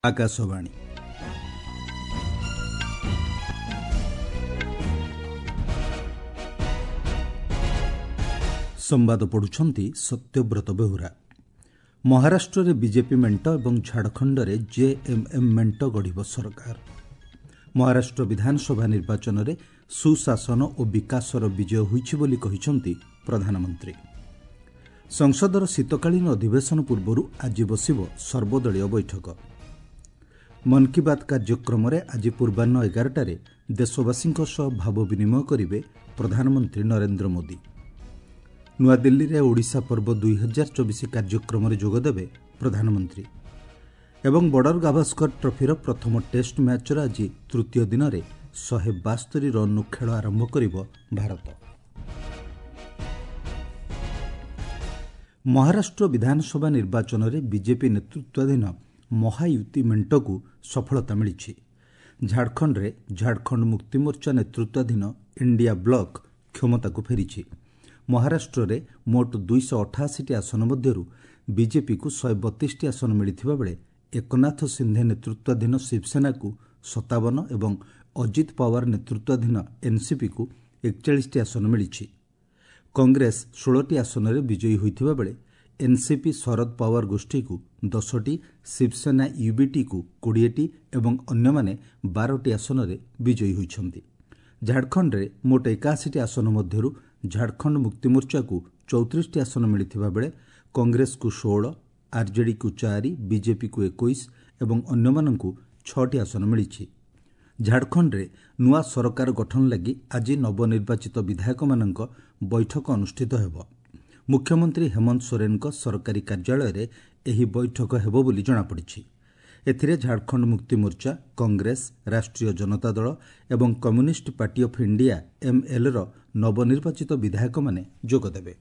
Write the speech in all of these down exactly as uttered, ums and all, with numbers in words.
ଆକାଶବାଣୀ। ସମ୍ବାଦ ପଢ଼ୁଛନ୍ତି ସତ୍ୟବ୍ରତ ବେହୁରା। ମହାରାଷ୍ଟ୍ରରେ ବିଜେପି ମେଣ୍ଟ ଏବଂ ଝାଡ଼ଖଣ୍ଡରେ ଜେଏମ୍ଏମ୍ ମେଣ୍ଟ ଗଢ଼ିବ ସରକାର। ମହାରାଷ୍ଟ୍ର ବିଧାନସଭା ନିର୍ବାଚନରେ ସୁଶାସନ ଓ ବିକାଶର ବିଜୟ ହୋଇଛି ବୋଲି କହିଛନ୍ତି ପ୍ରଧାନମନ୍ତ୍ରୀ। ସଂସଦର ଶୀତକାଳୀନ ଅଧିବେଶନ ପୂର୍ବରୁ ଆଜି ବସିବ ସର୍ବଦଳୀୟ ବୈଠକ। ମନ୍ କି ବାତ୍ କାର୍ଯ୍ୟକ୍ରମରେ ଆଜି ପୂର୍ବାହ୍ନ ଏଗାରଟାରେ ଦେଶବାସୀଙ୍କ ସହ ଭାବ ବିନିମୟ କରିବେ ପ୍ରଧାନମନ୍ତ୍ରୀ ନରେନ୍ଦ୍ର ମୋଦି। ନୂଆଦିଲ୍ଲୀରେ ଓଡ଼ିଶା ପର୍ବ ଦୁଇ ହଜାର ଚବିଶ କାର୍ଯ୍ୟକ୍ରମରେ ଯୋଗଦେବେ ପ୍ରଧାନମନ୍ତ୍ରୀ। ଏବଂ ବର୍ଡର ଗାଭାସ୍କର ଟ୍ରଫିର ପ୍ରଥମ ଟେଷ୍ଟ ମ୍ୟାଚ୍ର ଆଜି ତୃତୀୟ ଦିନରେ ଶହେ ବାସ୍ତରି ରନ୍ରୁ ଖେଳ ଆରମ୍ଭ କରିବ ଭାରତ। ମହାରାଷ୍ଟ୍ର ବିଧାନସଭା ନିର୍ବାଚନରେ ବିଜେପି ନେତୃତ୍ୱାଧୀନ ମହାୟୁତି ମେଣ୍ଟକୁ ସଫଳତା ମିଳିଛି। ଝାଡ଼ଖଣ୍ଡରେ ଝାଡ଼ଖଣ୍ଡ ମୁକ୍ତିମୋର୍ଚ୍ଚା ନେତୃତ୍ୱାଧୀନ ଇଣ୍ଡିଆ ବ୍ଲକ କ୍ଷମତାକୁ ଫେରିଛି। ମହାରାଷ୍ଟ୍ରରେ ମୋଟ ଦୁଇଶହ ଅଠାଅଶୀଟି ଆସନ ମଧ୍ୟରୁ ବିଜେପିକୁ ଶହେ ବତିଶଟି ଆସନ ମିଳିଥିବା ବେଳେ ଏକନାଥ ସିନ୍ଧେ ନେତୃତ୍ୱାଧୀନ ଶିବସେନାକୁ ସତାବନ ଏବଂ ଅଜିତ ପାୱାର ନେତୃତ୍ୱାଧୀନ ଏନ୍ସିପିକୁ ଏକଚାଳିଶଟି ଆସନ ମିଳିଛି। କଂଗ୍ରେସ ଷୋହଳଟି ଆସନରେ ବିଜୟୀ ହୋଇଥିବା ବେଳେ ଏନ୍ସିପି ଶରଦ ପାୱାର ଗୋଷ୍ଠୀକୁ ଦଶଟି, ଶିବସେନା ୟୁବିଟିକୁ କୋଡ଼ିଏଟି ଏବଂ ଅନ୍ୟମାନେ ବାରଟି ଆସନରେ ବିଜୟୀ ହୋଇଛନ୍ତି। ଝାଡ଼ଖଣ୍ଡରେ ମୋଟ ଏକାଅଶୀଟି ଆସନ ମଧ୍ୟରୁ ଝାଡ଼ଖଣ୍ଡ ମୁକ୍ତିମୋର୍ଚ୍ଚାକୁ ଚଉତିରିଶଟି ଆସନ ମିଳିଥିବା ବେଳେ କଂଗ୍ରେସକୁ ଷୋହଳ, ଆର୍ଜେଡିକୁ ଚାରି, ବିଜେପିକୁ ଏକୋଇଶ ଏବଂ ଅନ୍ୟମାନଙ୍କୁ ଛଅଟି ଆସନ ମିଳିଛି। ଝାଡ଼ଖଣ୍ଡରେ ନୂଆ ସରକାର ଗଠନ ଲାଗି ଆଜି ନବନିର୍ବାଚିତ ବିଧାୟକମାନଙ୍କ ବୈଠକ ଅନୁଷ୍ଠିତ ହେବ। ମୁଖ୍ୟମନ୍ତ୍ରୀ ହେମନ୍ତ ସୋରେନଙ୍କ ସରକାରୀ କାର୍ଯ୍ୟାଳୟରେ ଏହି ବୈଠକ ହେବ ବୋଲି ଜଣାପଡ଼ିଛି। ଏଥିରେ ଝାଡ଼ଖଣ୍ଡ ମୁକ୍ତିମୋର୍ଚ୍ଚା, କଂଗ୍ରେସ, ରାଷ୍ଟ୍ରୀୟ ଜନତା ଦଳ ଏବଂ କମ୍ୟୁନିଷ୍ଟ ପାର୍ଟି ଅଫ୍ ଇଣ୍ଡିଆ ଏମ୍ଏଲ୍ର ନବନିର୍ବାଚିତ ବିଧାୟକମାନେ ଯୋଗଦେବେ।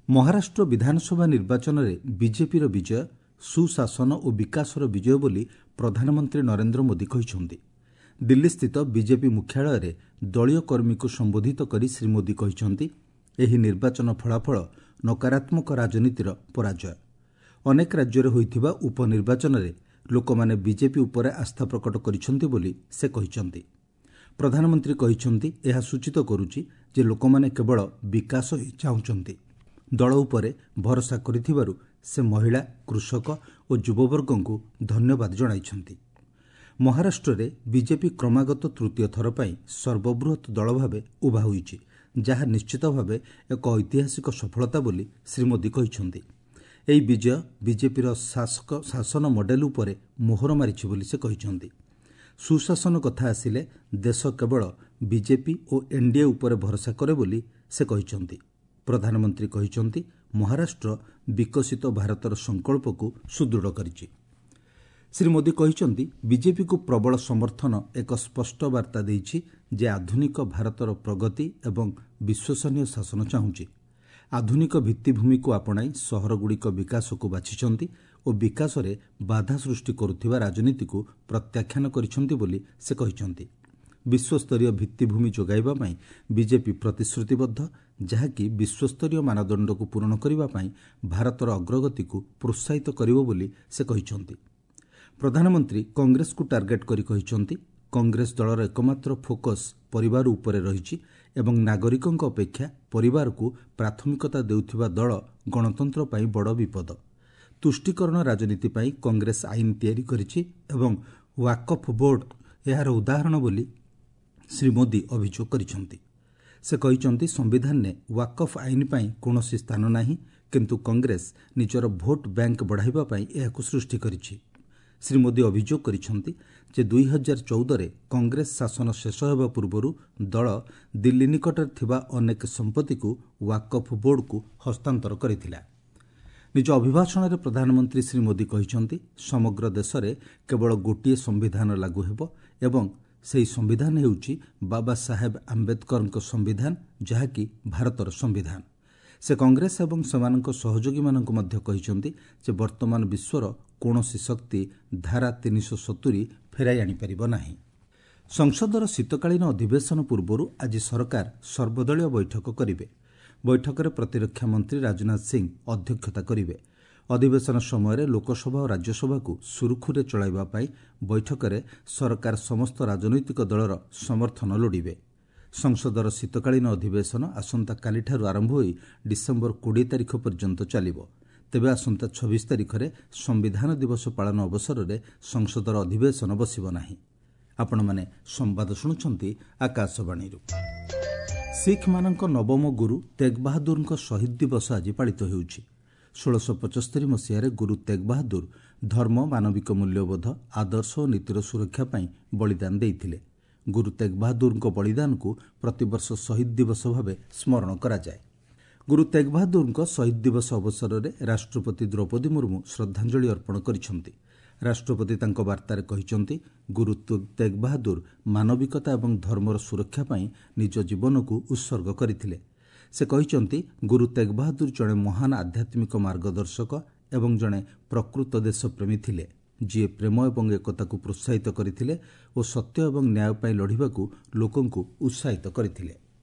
ମହାରାଷ୍ଟ୍ର ବିଧାନସଭା ନିର୍ବାଚନରେ ବିଜେପିର ବିଜୟ ସୁଶାସନ ଓ ବିକାଶର ବିଜୟ ବୋଲି ପ୍ରଧାନମନ୍ତ୍ରୀ ନରେନ୍ଦ୍ର ମୋଦି କହିଛନ୍ତି। ଦିଲ୍ଲୀସ୍ଥିତ ବିଜେପି ମୁଖ୍ୟାଳୟରେ ଦଳୀୟ କର୍ମୀଙ୍କୁ ସମ୍ବୋଧିତ କରି ଶ୍ରୀ ମୋଦି କହିଛନ୍ତି, ଏହି ନିର୍ବାଚନ ଫଳାଫଳ ନକାରାତ୍ମକ ରାଜନୀତିର ପରାଜୟ। ଅନେକ ରାଜ୍ୟରେ ହୋଇଥିବା ଉପନିର୍ବାଚନରେ ଲୋକମାନେ ବିଜେପି ଉପରେ ଆସ୍ଥା ପ୍ରକଟ କରିଛନ୍ତି ବୋଲି ସେ କହିଛନ୍ତି। ପ୍ରଧାନମନ୍ତ୍ରୀ କହିଛନ୍ତି, ଏହା ସୂଚିତ କରୁଛି ଯେ ଲୋକମାନେ କେବଳ ବିକାଶ ହିଁ ଚାହୁଁଛନ୍ତି। ଦଳ ଉପରେ ଭରସା କରିଥିବାରୁ ସେ ମହିଳା, କୃଷକ ଓ ଯୁବବର୍ଗଙ୍କୁ ଧନ୍ୟବାଦ ଜଣାଇଛନ୍ତି। ମହାରାଷ୍ଟ୍ରରେ ବିଜେପି କ୍ରମାଗତ ତୃତୀୟ ଥର ପାଇଁ ସର୍ବବୃହତ୍ ଦଳ ଭାବେ ଉଭା ହୋଇଛି, ଯାହା ନିଶ୍ଚିତ ଭାବେ ଏକ ଐତିହାସିକ ସଫଳତା ବୋଲି ଶ୍ରୀ ମୋଦି କହିଛନ୍ତି। ଏହି ବିଜୟ ବିଜେପିର ଶାସକ ଶାସନ ମଡେଲ ଉପରେ ମୋହର ମାରିଛି ବୋଲି ସେ କହିଛନ୍ତି। ସୁଶାସନ କଥା ଆସିଲେ ଦେଶ କେବଳ ବିଜେପି ଓ ଏନ୍ଡିଏ ଉପରେ ଭରସା କରେ ବୋଲି ସେ କହିଛନ୍ତି। ପ୍ରଧାନମନ୍ତ୍ରୀ କହିଛନ୍ତି, ମହାରାଷ୍ଟ୍ର ବିକଶିତ ଭାରତର ସଂକଳ୍ପକୁ ସୁଦୃଢ଼ କରିଛି। ଶ୍ରୀ ମୋଦି କହିଛନ୍ତି, ବିଜେପିକୁ ପ୍ରବଳ ସମର୍ଥନ ଏକ ସ୍ପଷ୍ଟ ବାର୍ତ୍ତା ଦେଇଛି ଯେ ଆଧୁନିକ ଭାରତର ପ୍ରଗତି ଏବଂ ବିଶ୍ୱସନୀୟ ଶାସନ ଚାହୁଁଛି। ଆଧୁନିକ ଭିତ୍ତିଭୂମିକୁ ଆପଣାଇ ସହରଗୁଡ଼ିକ ବିକାଶକୁ ବାଛିଛନ୍ତି ଓ ବିକାଶରେ ବାଧା ସୃଷ୍ଟି କରୁଥିବା ରାଜନୀତିକୁ ପ୍ରତ୍ୟାଖ୍ୟାନ କରିଛନ୍ତି ବୋଲି ସେ କହିଛନ୍ତି। ବିଶ୍ୱସ୍ତରୀୟ ଭିତ୍ତିଭୂମି ଯୋଗାଇବା ପାଇଁ ବିଜେପି ପ୍ରତିଶ୍ରୁତିବଦ୍ଧ, ଯାହାକି ବିଶ୍ୱସ୍ତରୀୟ ମାନଦଣ୍ଡକୁ ପୂରଣ କରିବା ପାଇଁ ଭାରତର ଅଗ୍ରଗତିକୁ ପ୍ରୋତ୍ସାହିତ କରିବ ବୋଲି ସେ କହିଛନ୍ତି। ପ୍ରଧାନମନ୍ତ୍ରୀ କଂଗ୍ରେସକୁ ଟାର୍ଗେଟ୍ କରି କହିଛନ୍ତି, କଂଗ୍ରେସ ଦଳର ଏକମାତ୍ର ଫୋକସ୍ ପରିବାର ଉପରେ ରହିଛି ଏବଂ ନାଗରିକଙ୍କ ଅପେକ୍ଷା ପରିବାରକୁ ପ୍ରାଥମିକତା ଦେଉଥିବା ଦଳ ଗଣତନ୍ତ୍ର ପାଇଁ ବଡ଼ ବିପଦ। ତୁଷ୍ଟିକରଣ ରାଜନୀତି ପାଇଁ କଂଗ୍ରେସ ଆଇନ ତିଆରି କରିଛି ଏବଂ ୱାକଫ୍ ବୋର୍ଡ ଏହାର ଉଦାହରଣ ବୋଲି ଶ୍ରୀ ମୋଦି ଅଭିଯୋଗ କରିଛନ୍ତି। ସେ କହିଛନ୍ତି, ସମ୍ବିଧାନରେ ୱାକଫ୍ ଆଇନ ପାଇଁ କୌଣସି ସ୍ଥାନ ନାହିଁ, କିନ୍ତୁ କଂଗ୍ରେସ ନିଜର ଭୋଟ୍ ବ୍ୟାଙ୍କ ବଢ଼ାଇବା ପାଇଁ ଏହାକୁ ସୃଷ୍ଟି କରିଛି। ଶ୍ରୀ ମୋଦି ଅଭିଯୋଗ କରିଛନ୍ତି ଯେ ଦୁଇ ହଜାର ଚଉଦରେ କଂଗ୍ରେସ ଶାସନ ଶେଷ ହେବା ପୂର୍ବରୁ ଦଳ ଦିଲ୍ଲୀ ନିକଟରେ ଥିବା ଅନେକ ସମ୍ପତ୍ତିକୁ ୱାକଫ୍ ବୋର୍ଡକୁ ହସ୍ତାନ୍ତର କରିଥିଲା। ନିଜ ଅଭିଭାଷଣରେ ପ୍ରଧାନମନ୍ତ୍ରୀ ଶ୍ରୀ ମୋଦି କହିଛନ୍ତି, ସମଗ୍ର ଦେଶରେ କେବଳ ଗୋଟିଏ ସମ୍ବିଧାନ ଲାଗୁ ହେବ ଏବଂ ସେହି ସମ୍ବିଧାନ ହେଉଛି ବାବା ସାହେବ ଆମ୍ବେଦକରଙ୍କ ସମ୍ବିଧାନ, ଯାହାକି ଭାରତର ସମ୍ବିଧାନ। ସେ କଂଗ୍ରେସ ଏବଂ ସେମାନଙ୍କ ସହଯୋଗୀମାନଙ୍କୁ ମଧ୍ୟ କହିଛନ୍ତି ଯେ ବର୍ତ୍ତମାନ ବିଶ୍ୱର କୌଣସି ଶକ୍ତି ଧାରା ତିନିଶହ ସତୁରି ଫେରାଇ ଆଣିପାରିବ ନାହିଁ। ସଂସଦର ଶୀତକାଳୀନ ଅଧିବେଶନ ପୂର୍ବରୁ ଆଜି ସରକାର ସର୍ବଦଳୀୟ ବୈଠକ କରିବେ। ବୈଠକରେ ପ୍ରତିରକ୍ଷା ମନ୍ତ୍ରୀ ରାଜନାଥ ସିଂ ଅଧ୍ୟକ୍ଷତା କରିବେ। ଅଧିବେଶନ ସମୟରେ ଲୋକସଭା ଓ ରାଜ୍ୟସଭାକୁ ସୁରୁଖୁରୁରେ ଚଳାଇବା ପାଇଁ ବୈଠକରେ ସରକାର ସମସ୍ତ ରାଜନୈତିକ ଦଳର ସମର୍ଥନ ଲୋଡ଼ିବେ। ସଂସଦର ଶୀତକାଳୀନ ଅଧିବେଶନ ଆସନ୍ତାକାଲିଠାରୁ ଆରମ୍ଭ ହୋଇ ଡିସେମ୍ବର କୋଡ଼ିଏ ତାରିଖ ପର୍ଯ୍ୟନ୍ତ ଚାଲିବ। ତେବେ ଆସନ୍ତା ଛବିଶ ତାରିଖରେ ସମ୍ବିଧାନ ଦିବସ ପାଳନ ଅବସରରେ ସଂସଦର ଅଧିବେଶନ ବସିବ ନାହିଁ। ଆପଣମାନେ ସମ୍ବାଦ ଶୁଣୁଛନ୍ତି ଆକାଶବାଣୀରୁ। ଶିଖ୍ମାନଙ୍କ ନବମ ଗୁରୁ ତେଗ୍ ବାହାଦୁରଙ୍କ ଶହୀଦ ଦିବସ ଆଜି ପାଳିତ ହେଉଛି। ଷୋଳଶହ ପଞ୍ଚସ୍ତରୀ ମସିହାରେ ଗୁରୁ ତେଗ୍ ବାହାଦୁର ଧର୍ମ, ମାନବିକ ମୂଲ୍ୟବୋଧ, ଆଦର୍ଶ ଓ ନୀତିର ସୁରକ୍ଷା ପାଇଁ ବଳିଦାନ ଦେଇଥିଲେ। ଗୁରୁ ତେଗ୍ ବାହାଦୁରଙ୍କ ବଳିଦାନକୁ ପ୍ରତିବର୍ଷ ଶହୀଦ ଦିବସ ଭାବେ ସ୍ମରଣ କରାଯାଏ। ଗୁରୁ ତେଗ୍ ବାହାଦୁରଙ୍କ ଶହୀଦ ଦିବସ ଅବସରରେ ରାଷ୍ଟ୍ରପତି ଦ୍ରୌପଦୀ ମୁର୍ମୁ ଶ୍ରଦ୍ଧାଞ୍ଜଳି ଅର୍ପଣ କରିଛନ୍ତି। ରାଷ୍ଟ୍ରପତି ତାଙ୍କ ବାର୍ତ୍ତାରେ କହିଛନ୍ତି, ଗୁରୁ ତେଗ୍ ବାହାଦୁର ମାନବିକତା ଏବଂ ଧର୍ମର ସୁରକ୍ଷା ପାଇଁ ନିଜ ଜୀବନକୁ ଉତ୍ସର୍ଗ କରିଥିଲେ। ସେ କହିଛନ୍ତି, ଗୁରୁ ତେଗ୍ ବାହାଦୁର ଜଣେ ମହାନ ଆଧ୍ୟାତ୍ମିକ ମାର୍ଗଦର୍ଶକ ଏବଂ ଜଣେ ପ୍ରକୃତ ଦେଶପ୍ରେମୀ ଥିଲେ, ଯିଏ ପ୍ରେମ ଏବଂ ଏକତାକୁ ପ୍ରୋତ୍ସାହିତ କରିଥିଲେ ଓ ସତ୍ୟ ଏବଂ ନ୍ୟାୟ ପାଇଁ ଲଢ଼ିବାକୁ ଲୋକଙ୍କୁ ଉତ୍ସାହିତ କରିଥିଲେ।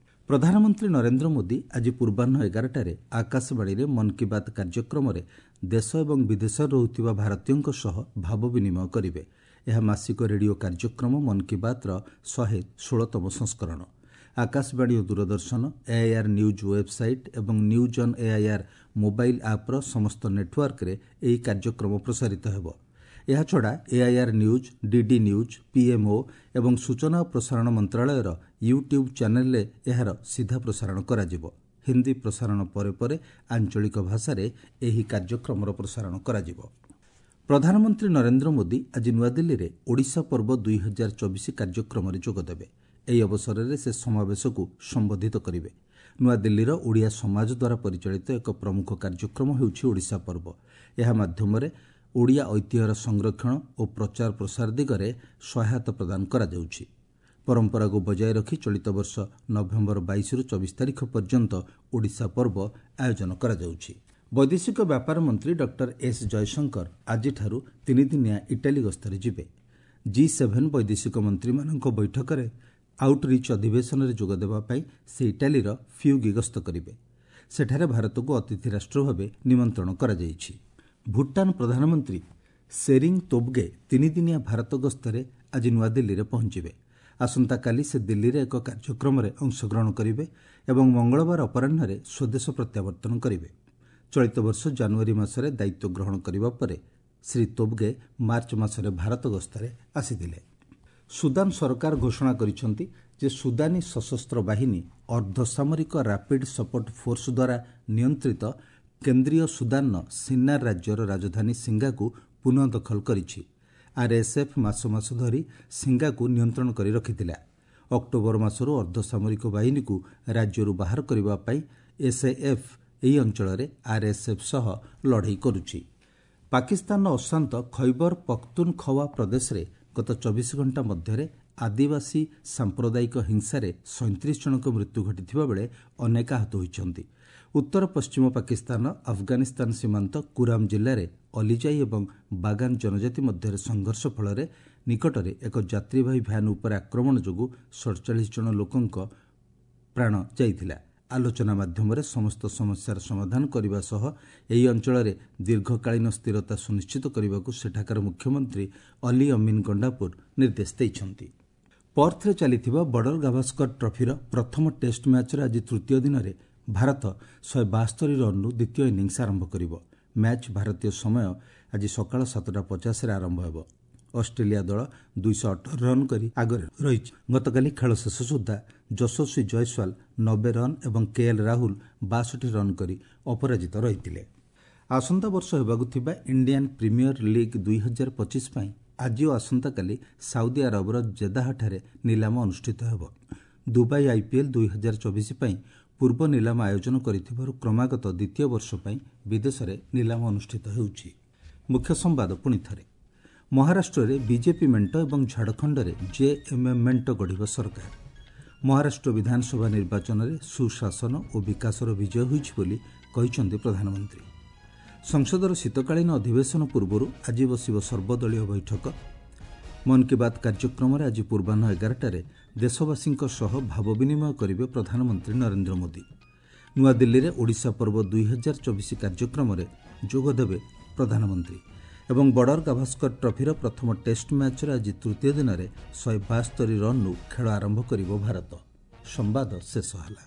ପ୍ରଧାନମନ୍ତ୍ରୀ ନରେନ୍ଦ୍ର ମୋଦି ଆଜି ପୂର୍ବାହ୍ନ ଏଗାରଟାରେ ଆକାଶବାଣୀରେ ମନ୍ କି ବାତ୍ କାର୍ଯ୍ୟକ୍ରମରେ ଦେଶ ଏବଂ ବିଦେଶରେ ରହୁଥିବା ଭାରତୀୟଙ୍କ ସହ ଭାବ ବିନିମୟ କରିବେ। ଏହା ମାସିକ ରେଡିଓ କାର୍ଯ୍ୟକ୍ରମ ମନ୍ କି ବାତ୍ର ଶହେ ଷୋହଳତମ ସଂସ୍କରଣ। ଆକାଶବାଣୀ ଓ ଦୂରଦର୍ଶନ, ଏଆଇଆର୍ ନ୍ୟୁଜ୍ ୱେବ୍ସାଇଟ୍ ଏବଂ ନ୍ୟୁଜ୍ ଅନ୍ ଏଆଇଆର୍ ମୋବାଇଲ୍ ଆପ୍ର ସମସ୍ତ ନେଟ୍ୱାର୍କରେ ଏହି କାର୍ଯ୍ୟକ୍ରମ ପ୍ରସାରିତ ହେବ। ଏହାଛଡ଼ା AIR news, DD news, PMO ଏବଂ ସୂଚନା ଓ ପ୍ରସାରଣ ମନ୍ତ୍ରାଳୟର ୟୁଟ୍ୟୁବ୍ ଚ୍ୟାନେଲ୍ରେ ଏହାର ସିଧା ପ୍ରସାରଣ କରାଯିବ। ହିନ୍ଦୀ ପ୍ରସାରଣ ପରେ ପରେ ଆଞ୍ଚଳିକ ଭାଷାରେ ଏହି କାର୍ଯ୍ୟକ୍ରମର ପ୍ରସାରଣ କରାଯିବ। ପ୍ରଧାନମନ୍ତ୍ରୀ ନରେନ୍ଦ୍ର ମୋଦି ଆଜି ନୂଆଦିଲ୍ଲୀରେ ଓଡ଼ିଶା ପର୍ବ ଦୁଇ ହଜାର ଚବିଶ କାର୍ଯ୍ୟକ୍ରମରେ ଯୋଗଦେବେ। ଏହି ଅବସରରେ ସେ ସମାବେଶକୁ ସମ୍ବୋଧିତ କରିବେ। ନୂଆଦିଲ୍ଲୀର ଓଡ଼ିଆ ସମାଜ ଦ୍ୱାରା ପରିଚାଳିତ ଏକ ପ୍ରମୁଖ କାର୍ଯ୍ୟକ୍ରମ ହେଉଛି ଓଡ଼ିଶା ପର୍ବ। ଏହା ମାଧ୍ୟମରେ ଓଡ଼ିଆ ଐତିହ୍ୟର ସଂରକ୍ଷଣ ଓ ପ୍ରଚାର ପ୍ରସାର ଦିଗରେ ସହାୟତା ପ୍ରଦାନ କରାଯାଉଛି। ପରମ୍ପରାକୁ ବଜାୟ ରଖି ଚଳିତ ବର୍ଷ ନଭେମ୍ବର ବାଇଶରୁ ଚବିଶ ତାରିଖ ପର୍ଯ୍ୟନ୍ତ ଓଡ଼ିଶା ପର୍ବ ଆୟୋଜନ କରାଯାଉଛି। ବୈଦେଶିକ ବ୍ୟାପାର ମନ୍ତ୍ରୀ ଡକ୍ଟର ଏସ୍ ଜୟଶଙ୍କର ଆଜିଠାରୁ ତିନିଦିନିଆ ଇଟାଲୀ ଗସ୍ତରେ ଯିବେ। ଜି ସେଭେନ୍ ବୈଦେଶିକ ମନ୍ତ୍ରୀମାନଙ୍କ ବୈଠକରେ ଆଉଟ୍ରିଚ୍ ଅଧିବେଶନରେ ଯୋଗଦେବା ପାଇଁ ସେ ଇଟାଲୀର ଫିୟୁଗି ଗସ୍ତ କରିବେ। ସେଠାରେ ଭାରତକୁ ଅତିଥି ରାଷ୍ଟ୍ର ଭାବେ ନିମନ୍ତ୍ରଣ କରାଯାଇଛି। ଭୁଟାନ ପ୍ରଧାନମନ୍ତ୍ରୀ ସେରିଂ ତୋବଗେ ତିନିଦିନିଆ ଭାରତ ଗସ୍ତରେ ଆଜି ନୂଆଦିଲ୍ଲୀରେ ପହଞ୍ଚିବେ। ଆସନ୍ତାକାଲି ସେ ଦିଲ୍ଲୀରେ ଏକ କାର୍ଯ୍ୟକ୍ରମରେ ଅଂଶଗ୍ରହଣ କରିବେ ଏବଂ ମଙ୍ଗଳବାର ଅପରାହ୍ନରେ ସ୍ୱଦେଶ ପ୍ରତ୍ୟାବର୍ତ୍ତନ କରିବେ। ଚଳିତ ବର୍ଷ ଜାନୁଆରୀ ମାସରେ ଦାୟିତ୍ୱ ଗ୍ରହଣ କରିବା ପରେ ଶ୍ରୀ ତୋବଗେ ମାର୍ଚ୍ଚ ମାସରେ ଭାରତ ଗସ୍ତରେ ଆସିଥିଲେ। ସୁଦାନ ସରକାର ଘୋଷଣା କରିଛନ୍ତି ଯେ ସୁଦାନୀ ସଶସ୍ତ୍ର ବାହିନୀ ଅର୍ଦ୍ଧସାମରିକ ରାପିଡ୍ ସପୋର୍ଟ ଫୋର୍ସ ଦ୍ୱାରା ନିୟନ୍ତ୍ରିତ କେନ୍ଦ୍ରୀୟ ସୁଦାନର ସିନ୍ନାର ରାଜ୍ୟର ରାଜଧାନୀ ସିଙ୍ଗାକୁ ପୁନଃ ଦଖଲ କରିଛି। ଆର୍ଏସ୍ଏଫ୍ ମାସ ମାସ ଧରି ସିଙ୍ଗାକୁ ନିୟନ୍ତ୍ରଣ କରି ରଖିଥିଲା। ଅକ୍ଟୋବର ମାସରୁ ଅର୍ଦ୍ଧସାମରିକ ବାହିନୀକୁ ରାଜ୍ୟରୁ ବାହାର କରିବା ପାଇଁ ଏସ୍ଏଏଫ୍ ଏହି ଅଞ୍ଚଳରେ ଆର୍ଏସ୍ଏଫ୍ ସହ ଲଢ଼େଇ କରୁଛି। ପାକିସ୍ତାନର ଅଶାନ୍ତ ଖୈବର ପଖ୍ତୁନଖୱା ପ୍ରଦେଶରେ ଗତ ଚବିଶ ଘଣ୍ଟା ମଧ୍ୟରେ ଆଦିବାସୀ ସାମ୍ପ୍ରଦାୟିକ ହିଂସାରେ ସଇଁତିରିଶ ଜଣଙ୍କ ମୃତ୍ୟୁ ଘଟିଥିବା ବେଳେ ଅନେକ ଆହତ ହୋଇଛନ୍ତି। ଉତ୍ତର ପଶ୍ଚିମ ପାକିସ୍ତାନର ଆଫଗାନିସ୍ତାନ ସୀମାନ୍ତ କୁରାମ ଜିଲ୍ଲାରେ ଅଲିଜାଇ ଏବଂ ବାଗାନ ଜନଜାତି ମଧ୍ୟରେ ସଂଘର୍ଷ ଫଳରେ ନିକଟରେ ଏକ ଯାତ୍ରୀବାହୀ ଭ୍ୟାନ୍ ଉପରେ ଆକ୍ରମଣ ଯୋଗୁଁ ସଡ଼ଚାଳିଶ ଜଣ ଲୋକଙ୍କ ପ୍ରାଣ ଯାଇଥିଲା। ଆଲୋଚନା ମାଧ୍ୟମରେ ସମସ୍ତ ସମସ୍ୟାର ସମାଧାନ କରିବା ସହ ଏହି ଅଞ୍ଚଳରେ ଦୀର୍ଘକାଳୀନ ସ୍ଥିରତା ସୁନିଶ୍ଚିତ କରିବାକୁ ସେଠାକାର ମୁଖ୍ୟମନ୍ତ୍ରୀ ଅଲି ଅମିନ ଗଣ୍ଡାପୁର ନିର୍ଦ୍ଦେଶ ଦେଇଛନ୍ତି। ପର୍ଥରେ ଚାଲିଥିବା ବର୍ଡର ଗାଭାସ୍କର ଟ୍ରଫିର ପ୍ରଥମ ଟେଷ୍ଟ ମ୍ୟାଚ୍ର ଆଜି ତୃତୀୟ ଦିନରେ ଭାରତ ଶହେ ବାସ୍ତରୀ ରନ୍ରୁ ଦ୍ୱିତୀୟ ଇନିଂସ୍ ଆରମ୍ଭ କରିବ। ମ୍ୟାଚ୍ ଭାରତୀୟ ସମୟ ଆଜି ସକାଳ ସାତଟା ପଚାଶରେ ଆରମ୍ଭ ହେବ। ଅଷ୍ଟ୍ରେଲିଆ ଦଳ ଦୁଇଶହ ଅଠର ରନ୍ କରି ଆଗରେ ରହିଛି। ଗତକାଲି ଖେଳ ଶେଷ ସୁଦ୍ଧା ଯଶସ୍ୱୀ ଜୟସ୍ୱାଲ ନବେ ରନ୍ ଏବଂ କେଏଲ୍ ରାହୁଲ ବାଷଠି ରନ୍ କରି ଅପରାଜିତ ରହିଥିଲେ। ଆସନ୍ତା ବର୍ଷ ହେବାକୁ ଥିବା ଇଣ୍ଡିଆନ୍ ପ୍ରିମିୟର ଲିଗ୍ ଦୁଇ ହଜାର ପଚିଶ ପାଇଁ ଆଜି ଓ ଆସନ୍ତାକାଲି ସାଉଦି ଆରବର ଜେଦାହଠାରେ ନିଲାମ ଅନୁଷ୍ଠିତ ହେବ। ଦୁବାଇ ଆଇପିଏଲ୍ ଦୁଇ ହଜାର ଚବିଶ ପାଇଁ ପୂର୍ବ ନିଲାମ ଆୟୋଜନ କରିଥିବାରୁ କ୍ରମାଗତ ଦ୍ୱିତୀୟ ବର୍ଷ ପାଇଁ ବିଦେଶରେ ନିଲାମ ଅନୁଷ୍ଠିତ ହେଉଛି। ମୁଖ୍ୟ ସମ୍ବାଦ ପୁଣି ଥରେ। ମହାରାଷ୍ଟ୍ରରେ ବିଜେପି ମେଣ୍ଟ ଏବଂ ଝାଡ଼ଖଣ୍ଡରେ ଜେଏମ୍ଏମ୍ ମେଣ୍ଟ ଗଢ଼ିବ ସରକାର। ମହାରାଷ୍ଟ୍ର ବିଧାନସଭା ନିର୍ବାଚନରେ ସୁଶାସନ ଓ ବିକାଶର ବିଜୟ ହୋଇଛି ବୋଲି କହିଛନ୍ତି ପ୍ରଧାନମନ୍ତ୍ରୀ। ସଂସଦର ଶୀତକାଳୀନ ଅଧିବେଶନ ପୂର୍ବରୁ ଆଜି ବସିବ ସର୍ବଦଳୀୟ ବୈଠକ। ମନ୍ କି ବାତ୍ କାର୍ଯ୍ୟକ୍ରମରେ ଆଜି ପୂର୍ବାହ୍ନ ଏଗାରଟାରେ ଦେଶବାସୀଙ୍କ ସହ ଭାବ ବିନିମୟ କରିବେ ପ୍ରଧାନମନ୍ତ୍ରୀ ନରେନ୍ଦ୍ର ମୋଦି। ନୂଆଦିଲ୍ଲୀରେ ଓଡ଼ିଶା ପର୍ବ ଦୁଇହଜାର ଚବିଶ କାର୍ଯ୍ୟକ୍ରମରେ ଯୋଗଦେବେ ପ୍ରଧାନମନ୍ତ୍ରୀ। ଏବଂ ବର୍ଡର ଗାଭାସ୍କର ଟ୍ରଫିର ପ୍ରଥମ ଟେଷ୍ଟ ମ୍ୟାଚ୍ର ଆଜି ତୃତୀୟ ଦିନରେ ଶହେ ବାସ୍ତରୀ ରନ୍ରୁ ଖେଳ ଆରମ୍ଭ କରିବ ଭାରତ। ସମ୍ବାଦ ଶେଷ ହେଲା।